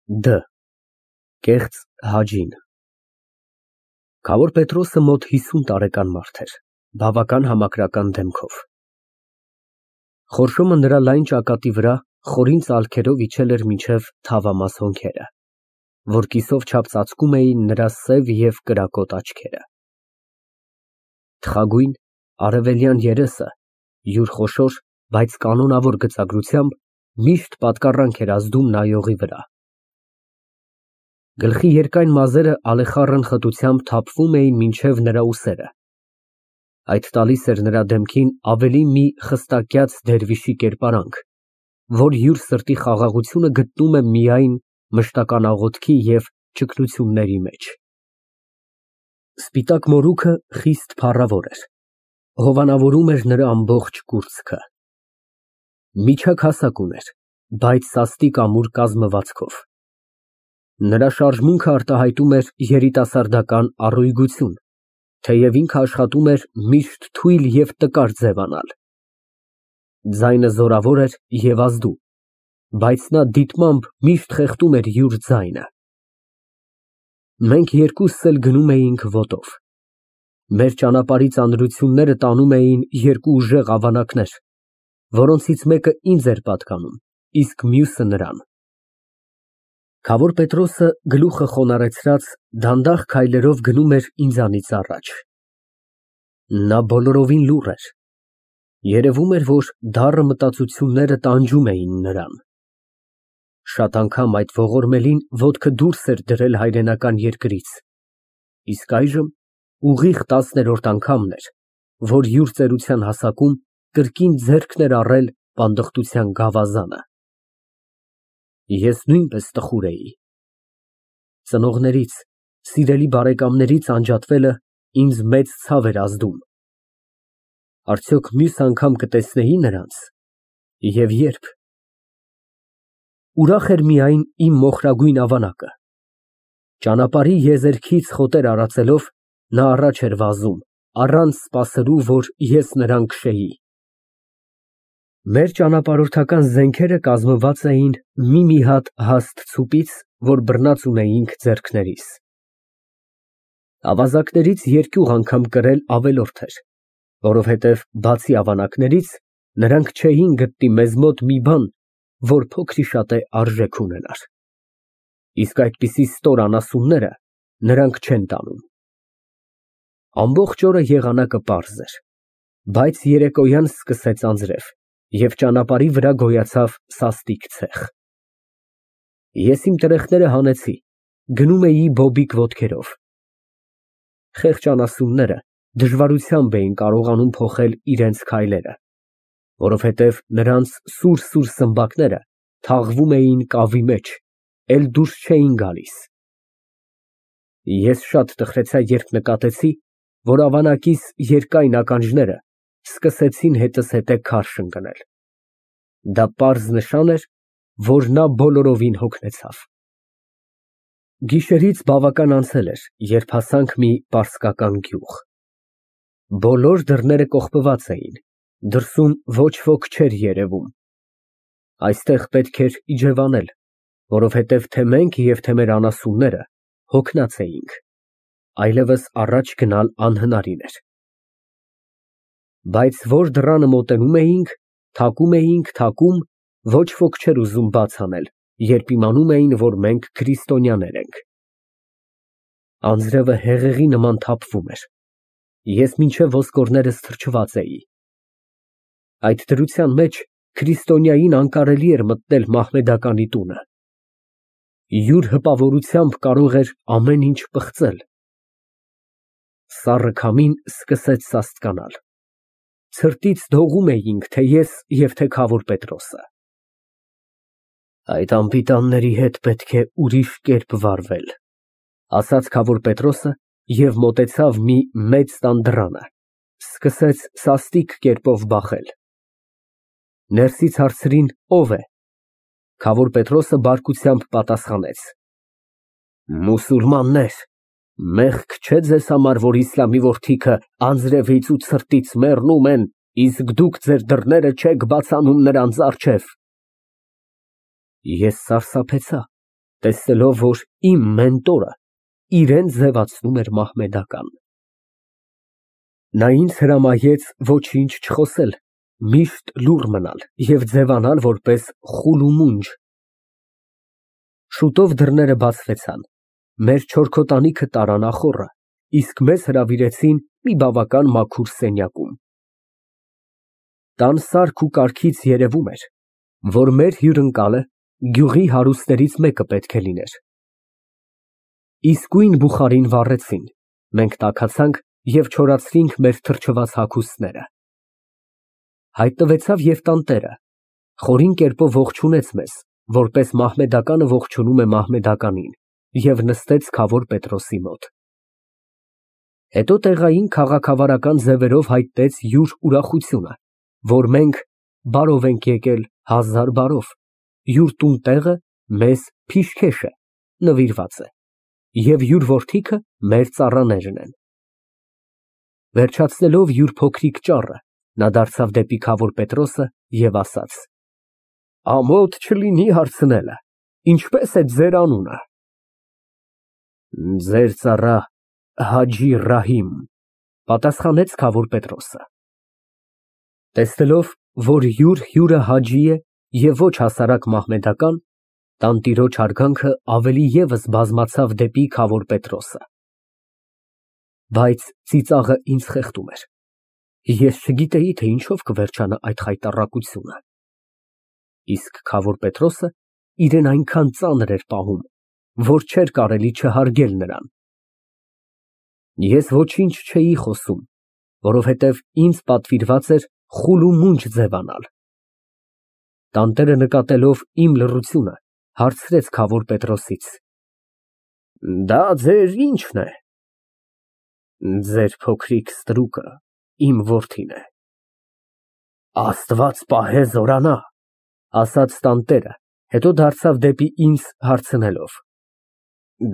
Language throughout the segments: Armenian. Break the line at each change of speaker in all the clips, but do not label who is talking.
Դ. Կեղծ Հաջին Քավոր Պետրոսը մոտ 50 տարեկան մարդ էր, բավական համակրական դեմքով։ Խորշոմը նրա լայն ճակատի վրա խորին ծալքերով իջել էր մինչև թավամաս հոնքերը, որ կիսով չափ ծածկում էին նրա սև և կրակոտ աչքերը։ Թխագույն, արևելյան երեսը յուր խոշոր, բայց կանոնավոր գծագրությամբ միշտ պատկառանք էր ազդում նայողի վրա։ Գլխի երկայն մազերը ալեխառն խտությամբ թափվում էին մինչև նրա ուսերը, այդ տալիս էր նրա դեմքին ավելի մի խստակյաց դերվիշի կերպարանք, որ յուր սրտի խաղաղությունը գտնում է միայն մշտական աղոթքի և ճգնությունների մեջ։ Սպիտակ մորուքը խիստ փառավոր էր, հովանավորում էր նրա ամբողջ կուրծքը։ Միջակ հասակ ուներ, բայց սաստիկ ամուր կազմվածքով։ Նրա շարժմունքը արտահայտում էր երիտասարդական առույգություն, թեև ինքը աշխատում էր միշտ թույլ և տկար ձևանալ։ Ձայնը զորավոր էր և ազդու, բայց նա դիտմամբ միշտ խեղդում էր յուր ձայնը։ Մենք երկուսս էլ գնում էինք ոտով։ Մեր ճանապարհի ծանրությունները տանում էին երկու ուժեղ ավանակներ, որոնցից մեկը ինձ էր պատկանում, իսկ մյուսը նրան։ Քավոր Պետրոսը գլուխը խոնարհեցրած դանդաղ քայլերով գնում էր ինձանից առաջ։ Նա բոլորովին լուռ էր։ Երևում էր, որ դառը մտածությունները տանջում էին նրան։ Շատ անգամ այդ ողորմելին ոտքը դուրս էր դրել հայրենական երկրից, իսկ այժմ ուղիղ 10-րդ անգամն էր, որ յուր ծերության հասակում կրկին ձեռքն էր առել պանդխտության գավազանը։ Ես նույնպես տխուր էի։ Ծնողներից, սիրելի բարեկամներից անջատվելը ինձ մեծ ցավ էր ազդում։ Արդյոք մյուս անգամ կտեսնեի նրանց, և ե՞րբ։ Ուրախ էր միայն իմ մոխրագույն ավանակը։ Ճանապարհի եզերքից խոտեր արածելով, նա առաջ էր վազում, առանց սպասելու, որ ես նրան քշեի։ Մեր ճանապարհորդական զենքերը կազմված էին մի հատ հաստ ցուպից, որ բռնած ունեինք ձեռքներիս։ Ավազակներից երկյուղ անգամ կրել ավելորդ էր, որովհետև բացի ավանակներից, նրանք չէին գտնի մեզ մոտ մի բան, որ փոքրիշատե արժեք ունենար։ Իսկ այդպիսի ստոր անասունները նրանք չեն տանում։ Ամբողջ օրը եղանակը պարզ էր, բայց երեկոյան սկսեց անձրև, և ճանապարհի վրա գոյացավ սաստիկ ցեխ։ Ես իմ տրեխները հանեցի, գնում էի բոբիկ ոտքերով։ Խեղճ անասունները դժվարությամբ էին կարողանում փոխել իրենց քայլերը, որովհետև նրանց սուր սմբակները թաղվում էին կավի մեջ, էլ դուրս չէին գալիս։ Ես շատ տխրեցա, երբ նկատեցի, որ ավանակիս երկայն ականջները սկսեցին հետզհետե քարշ ընկնել։ Դա պարզ նշան էր, որ նա բոլորովին հոգնեցավ։ Գիշերից բավական անցել էր, երբ հասանք մի պարսկական գյուղ։ Բոլոր դռները կողպված էին, դրսում ոչ ոք չէր երևում։ Այստեղ պետք էր իջևանել, որովհետև թե մենք և թե մեր անասունները հոգնած էինք, այլևս առաջ գնալ անհնարին էր։ Բայց որ դռանը մոտենում էինք, թակում, ոչ ոք չէր ուզում բաց անել, երբ իմանում էին, որ մենք քրիստոնյաներ ենք։ Անձրևը հեղեղի նման թափվում էր։ Ես մինչև ոսկորներս թրջված էի։ Այդ դրության մեջ քրիստոնյային անկարելի էր մտնել մահմեդականի տունը։ Յուր հպավորությամբ կարող էր ամեն ինչ պղծել։ Սառը քամին սկսեց սաստկանալ։ Ցրտից դողում էինք թե ես և թե քավոր Պետրոսը։ Այդ անպիտանների հետ պետք է ուրիշ կերպ վարվել, ասաց քավոր Պետրոսը և մոտեցավ մի մեծ տան դռանը, սկսեց սաստիկ կերպով բախել։ Ներսից հարցրին՝ ո՞վ է։ Քավոր Պետրոսը բարկությամբ պատասխանեց. Մուսուլմաններ, մեղք չէ ձեզ համար, որ իսլամի որդիքը անձրևից ու ցրտից մեռնում են, իսկ դուք ձեր դռները չեք բաց անում նրանց առջև։ Ես սարսափեցա, տեսնելով, որ իմ մենտորը իրեն ձևացնում էր մահմեդական։ Նա ինձ հրամայեց ոչինչ չխոսել, միշտ լուռ մնալ և ձևանալ որպես խուլումունջ։ Շուտով դռները բացվեցան, մեր չորքոտանիքը տարան ախոռը, իսկ մեզ հրավիրեցին մի բավական մաքուր սենյակում։ Տան սարք ու կարգից երևում էր, որ մեր հյուրընկալը գյուղի հարուստներից մեկը պետք է լիներ։ Իսկույն բուխարին վառեցին, մենք տաքացանք և չորացրինք մեր թրջված հագուստները։ Հայտնվեցավ և տանտերը, խորին կերպով ողջունեց մեզ, որպես մահմեդականը ողջունում է մահմեդականին, և նստեց քավոր Պետրոսի մոտ։ Հետո տեղային քաղաքավարական ձևերով հայտնեց յուր ուրախությունը, որ մենք բարով ենք եկել, հազար բարով, յուր տուն տեղը մեզ Փիշքեշ է, նվիրված է, և յուր որդիքը մեր ծառաներն են։ Վերջացնելով յուր փոքրիկ ճառը, նա դարձավ դեպի քավոր Պետրոսը և ասաց. Ամոթ չլինի հարցնելը, ինչպե՞ս է ձեր անունը։ Ձեր ծառա Հաջի Ռահիմ, պատասխանեց քավոր Պետրոսը։ Տեսնելով, որ յուր հյուրը հաջի է և ոչ հասարակ մահմեդական, տանտիրոջ հարգանքը ավելի ևս բազմացավ դեպի քավոր Պետրոսը։ Բայց ծիծաղը ինձ խեղդում էր։ Ես չգիտեի, թե ինչով կվերջանա այդ խայտառակությունը։ Իսկ քավոր Պետրոսը իրեն այնքան ծանր էր պահում, որ չէր կարելի չհարգել նրան։ Ես ոչինչ չէի խոսում, որովհետև ինձ պատվիրված էր խուլումունջ ձևանալ։ Տանտերը նկատելով իմ լռությունը, հարցրեց քավոր Պետրոսից. Դա ձեր ի՞նչն է։ Ձեր փոքրիկ ստրուկը իմ որդին է։ Աստված պահե զորանա, ասաց տանտերը, հետո դարձավ դեպի ինձ հարցնելով.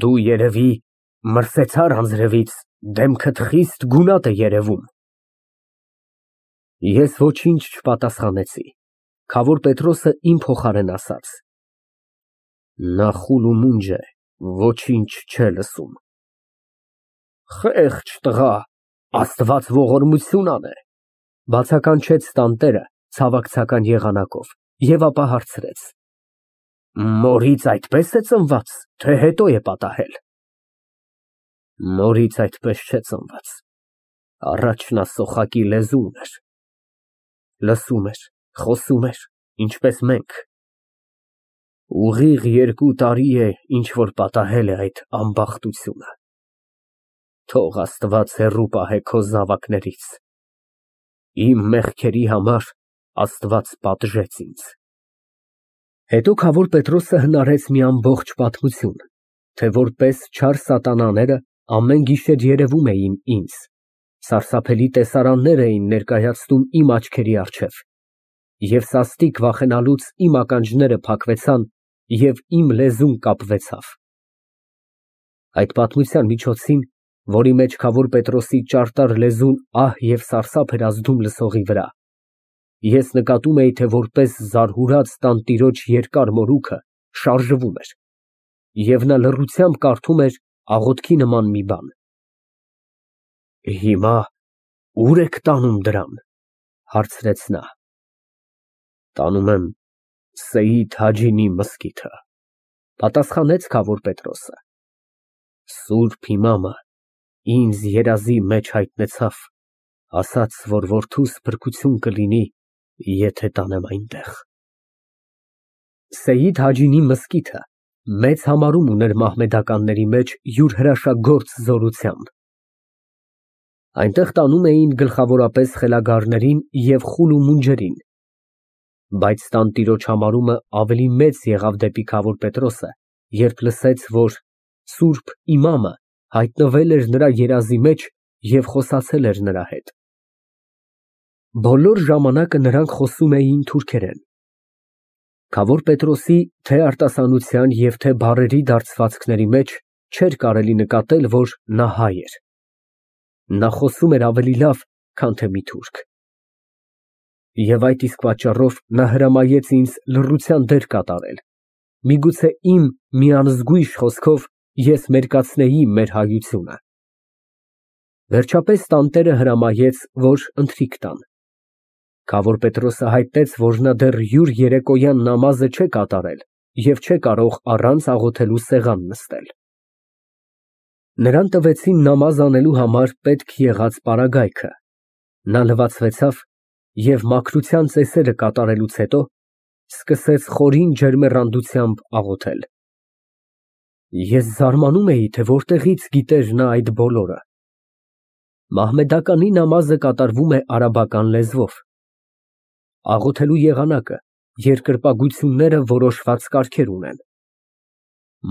Դու երևի մրսեցար անձրևից, դեմքդ խիստ գունատ է երևում։ Ես ոչինչ չպատասխանեցի, քավոր Պետրոսը իմ փոխարեն ասաց. Նա խուլումունջ է, ոչինչ չէ լսում։ Խեղճ տղա, Աստված ողորմություն անե, բացականչեց տանտերը ցավակցական եղանակով և ապա հարցրեց. Մորից այդպես է ծնված, թե հետո է պատահել։ Մորից այդպես չէ ծնված, առաջ նա սոխակի լեզու ուներ, լսում էր, խոսում էր, ինչպես մենք։ Ուղիղ 2 տարի է, ինչ որ պատահել է այդ ամբախտությունը։ Թող Աստված հեռու պահե քո զավակներից։ Իմ մեղքերի համար Աստված պատժեց ինձ։ Հետո քավոր Պետրոսը հնարեց մի ամբողջ պատմություն, թե որպես չար սատանաները ամեն գիշեր երևում էին ինձ, սարսափելի տեսարաններ էին ներկայացնում իմ աչքերի առջև, և սաստիկ վախենալուց իմ ականջները փակվեցան և իմ լեզուն կապվեցավ։ Այդ պատմության միջոցին, որի մեջ քավոր Պետրոսի ճարտար լեզուն ահ և սարսափ էր ազդում լսողի վրա, ես նկատում էի, թե որպես զարհուրած տանտիրոջ երկար մորուքը շարժվում էր, և նա լռությամբ կարդում էր աղոթքի նման մի բան։ Հիմա ո՞ւր եք տանում դրան, հարցրեց նա։ Տանում եմ Սեյիդ Հաջինի մզկիթը, պատասխանեց քավոր Պետրոսը։ Սուրբ իմամը ինձ երազի մեջ հայտնեցավ, ասաց, որ որդուս փրկություն կլինի, եթե տանեմ այնտեղ։ Սեյիդ Հաջինի մզկիթը մեծ համարում ուներ մահմեդականների մեջ յուր հրաշագործ զորությամբ։ Այնտեղ տանում էին գլխավորապես խելագարներին և խուլումունջերին, բայց տանտիրոջ համարումը ավելի մեծ եղավ դեպի քավոր Պետրոսը, երբ լսեց, որ սուրբ իմամը հայտնվել էր նրա երազի մեջ և խոսացել էր նրա հետ։ Բոլոր ժամանակը նրանք խոսում էին թուրքերեն։ Քավոր Պետրոսի թե արտասանության և թե բառերի դարձվածքների մեջ չէր կարելի նկատել, որ նա հայ էր։ Նա խոսում էր ավելի լավ, քան թե մի թուրք։ Եվ այդ իսկ պատճառով նա հրամայեց ինձ լռության դեր կատարել Միգուցե իմ մի անզգույշ խոսքով ես մերկացնեի մեր հայությունը։ Վերջապես տանտերը հրամայեց, որ ընթրիք տան։ Քավոր Պետրոսը հայտնեց, որ նա դեռ յուր երեկոյան նամազը չէ կատարել և չէ կարող առանց աղոթելու սեղան նստել։ Նրան տվեցին նամազ անելու համար պետք եղած պարագայքը, նա լվացվեցավ և մաքրության ծեսերը կատարելուց հետո սկսեց խորին ջերմեռանդությամբ աղոթել։ Ես զարմանում էի, թե որտեղից գիտեր նա այդ բոլորը։ Մահմեդականի նամազը կատարվում է արաբական լեզվով։ Աղոթելու եղանակը, երկրպագությունները որոշված կարգեր ունեն։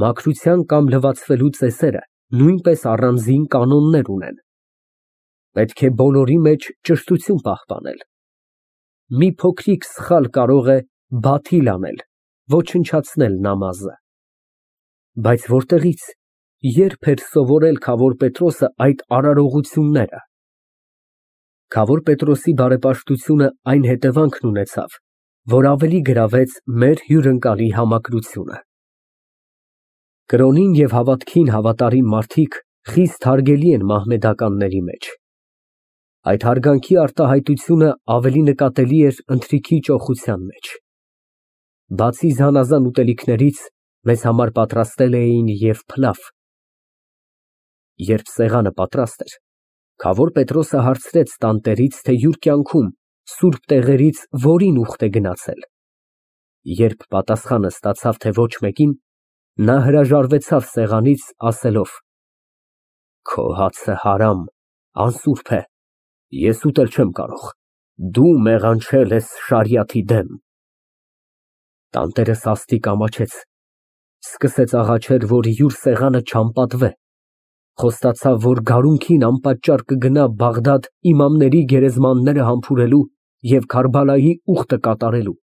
Մաքրության կամ լվացվելու ծեսերը նույնպես առանձին կանոններ ունեն։ Պետք է բոլորի մեջ ճշտություն պահպանել։ Մի փոքրիկ սխալ կարող է բաթիլ անել, ոչնչացնել նամազը։ Բայց որտեղից, երբ էր սովորել քավոր Պետրոսը այդ արարողությունները։ Քավոր Պետրոսի բարեպաշտությունը այն հետևանքն ունեցավ, որ ավելի գրավեց մեր հյուրընկալի համակրությունը։ Կրոնին և հավատքին հավատարիմ մարդիկ խիստ հարգելի են մահմեդականների մեջ։ Այդ հարգանքի արտահայտությունը ավելի նկատելի էր ընթրիքի ճոխության մեջ։ Բացի զանազան ուտելիքներից, մեզ համար պատրաստել էին և փլավ։ Երբ սեղանը պատրաստ էր, քավոր Պետրոսը հարցրեց տանտերից, թե յուր կյանքում սուրբ տեղերից որին ուխտ է գնացել։ Երբ պատասխանը ստացավ, թե ոչ մեկին, նա հրաժարվեցավ սեղանից, ասելով. Քո հացը հարամ, անսուրբ է, ես ուտել չեմ կարող, դու մեղանչել ես շարիաթի դեմ։ Տանտերը սաստիկ ամաչեց, սկսեց աղաչել, որ յուր սեղանը չանպատվե, խոստացավ, որ գարունքին անպատճառ կգնա Բաղդադ իմամների գերեզմանները համբուրելու և Քարբալայի ուխտը կատարելու։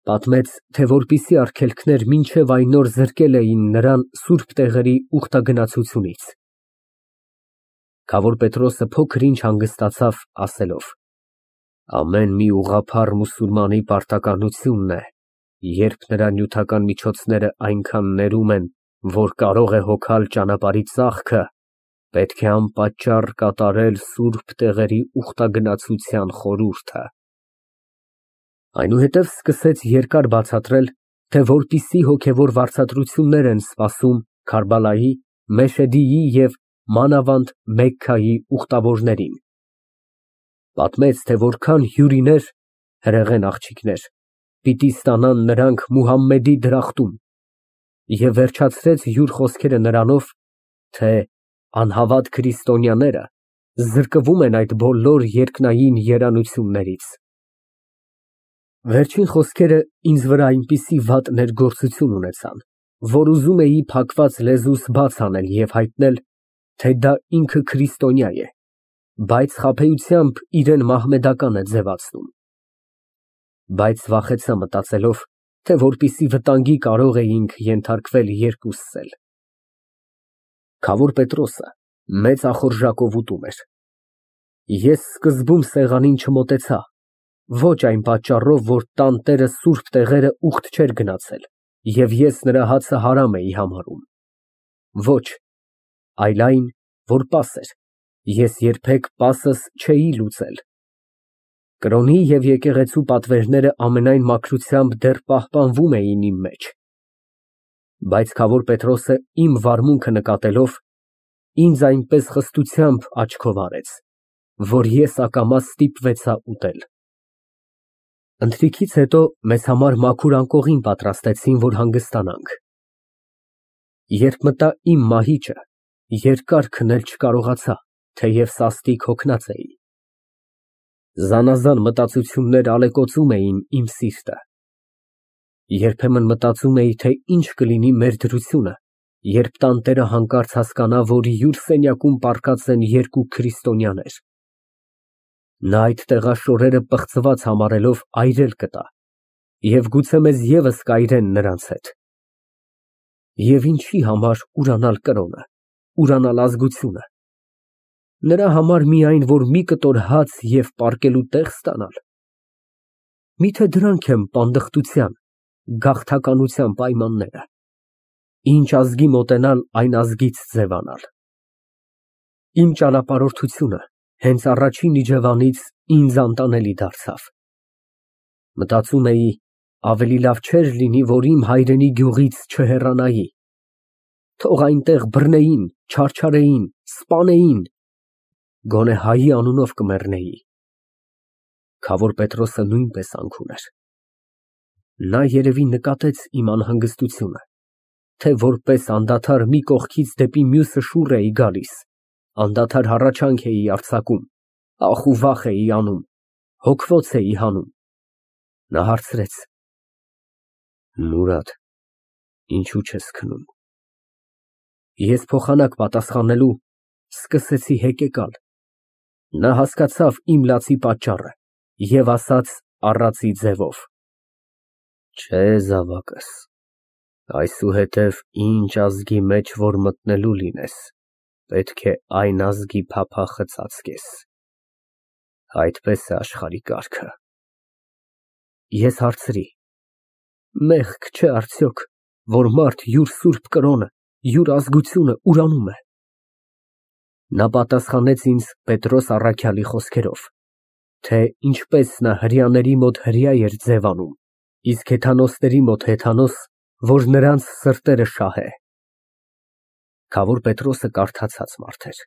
Պատմեց, թե որպիսի արգելքներ մինչև այն օր զրկել էին նրան սուրբ տեղերի ուխտագնացությունից։ Քավոր Պետրոսը փոքր ինչ հանգստացավ, ասելով. Ամեն մի ուղղափառ մուսուլմանի պարտականությունն է, երբ նրա նյութական միջոցները այնքան ներում են, որ կարող է հոգալ ճանապարհի ծախքը, պետք է անպատճառ կատարել սուրբ տեղերի ուխտագնացության խորհուրդը։ Այնուհետև սկսեց երկար բացատրել, թե որպիսի հոգևոր վարձատրություններ են սպասում Քարբալայի, Մեշեդիի և մանավանդ Մեքքայի ուխտավորներին։ Պատմեց, թե որքան հյուրիներ, հրեղեն աղջիկներ, պիտի ստանան նրանք Մուհամմեդի դրախտում և վերջացրեց յուր խոսքերը նրանով, թե անհավատ քրիստոնյաները զրկվում են այդ բոլոր երկնային երանություններից։ Վերջին խոսքերը ինձ վրա այնպիսի վատ ներգործություն ունեցան, որ ուզում էի փակված լեզուս բաց անել և հայտնել, թե դա ինքը քրիստոնյա է, բայց խաբեությամբ իրան մահմեդական է ձևացնում։ Բայց վախեցա մտածելով, թե որպիսի վտանգի կարող էինք ենթարկվել երկուսս էլ։ Քավոր Պետրոսը մեծ ախորժակով ուտում էր։ Ես սկզբում սեղանին չմոտեցա, ոչ այն պատճառով, որ տանտերը սուրբ տեղերը ուխտ չէր գնացել, և ես նրա հացը հարամ էի համարում։ Ոչ, այլ այն, որ պաս էր, ես երբեք պասս չէի լուծել։ Կրոնի և եկեղեցու պատվերները ամենայն մաքրությամբ դեռ պահպանվում էին իմ մեջ։ Բայց քավոր Պետրոսը իմ վարմունքը նկատելով, ինձ այնպես խստությամբ աչքով արեց, որ ես ակամա ստիպվեցա ուտել։ Ընթրիքից հետո մեզ համար մաքուր անկողին պատրաստեցին, որ հանգստանանք։ Երբ մտա իմ մահիճը, երկար քնել չկարողացա, թեև սաստիկ հոգնած էի։ Զանազան մտածություններ ալեկոծում էին իմ սիրտը։ Երբեմն մտածում էի, թե ինչ կլինի մեր դրությունը, երբ տանտերը հանկարծ հասկանա, որ յուր սենյակում պառկած են երկու քրիստոնյաներ։ Նա այդ տեղաշորերը պղծված համարելով այրել կտա և գուցե մեզ ևս կայրեն նրանց հետ։ Եվ ինչի համար ուրանալ կրոնը, ուրանալ ազգությունը։ Նրա համար միայն, որ մի կտոր հաց և պառկելու տեղ ստանալ։ Միթե դրանք են պանդխտության, գաղթականության պայմանները, ինչ ազգի մոտենալ, այն ազգից ձևանալ։ Իմ ճանապարհորդությունը հենց առաջին իջևանից ինձ անտանելի դարձավ։ Մտածում էի, ավելի լավ չէր լինի, որ իմ հայրենի գյուղից չհեռանայի, թող այնտեղ բռնեին, չարչարեին, սպանեին, գոնե հայի անունով կմեռնեի։ Քավոր Պետրոսը նույնպես անք ուներ։ Նա երևի նկատեց իմ անհանգստությունը, թե որպես անդադար մի կողքից դեպի մյուսը շուռ էի գալիս, անդադար հառաչանք էի արձակում, ախ ու վախ էի անում, հոգվոց էի հանում։ Նա հարցրեց. Մուրադ, ինչու չես քնում։ Ես փոխանակ պատասխանելու սկսեցի հեկեկալ։ Նա հասկացավ իմ լացի պատճառը և ասաց առածի ձևով. Չէ, զավակս, այսուհետև ինչ ազգի մեջ որ մտնելու լինես, պետք է այն ազգի փափախը ծածկես, այդպես է աշխարհի կարգը։ Ես հարցրի. մեղք չէ արդյոք, որ մարդ յուր սուրբ կրոնը, յուր ազգությունը ուրանում է։ Նա պատասխանեց ինձ Պետրոս առաքյալի խոսքերով, թե ինչպես նա հրեաների մոտ հրեա էր ձևանում, իսկ հեթանոսների մոտ հեթանոս, որ նրանց սրտերը շահե։ Քավոր Պետրոսը կարդացած մարդ էր։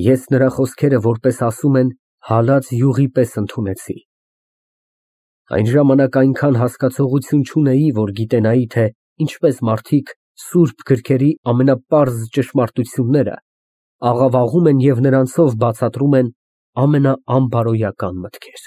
Ես նրա խոսքերը, որպես ասում են, հալած յուղի պես ընդունեցի։ Այն ժամանակ այնքան հասկացողություն չունեի, որ գիտենայի, թե ինչպես մարդիկ սուրբ գրքերի ամենապարզ ճշմարտությունները աղավաղում են և նրանցով բացատրում են ամենաանբարոյական մտքեր։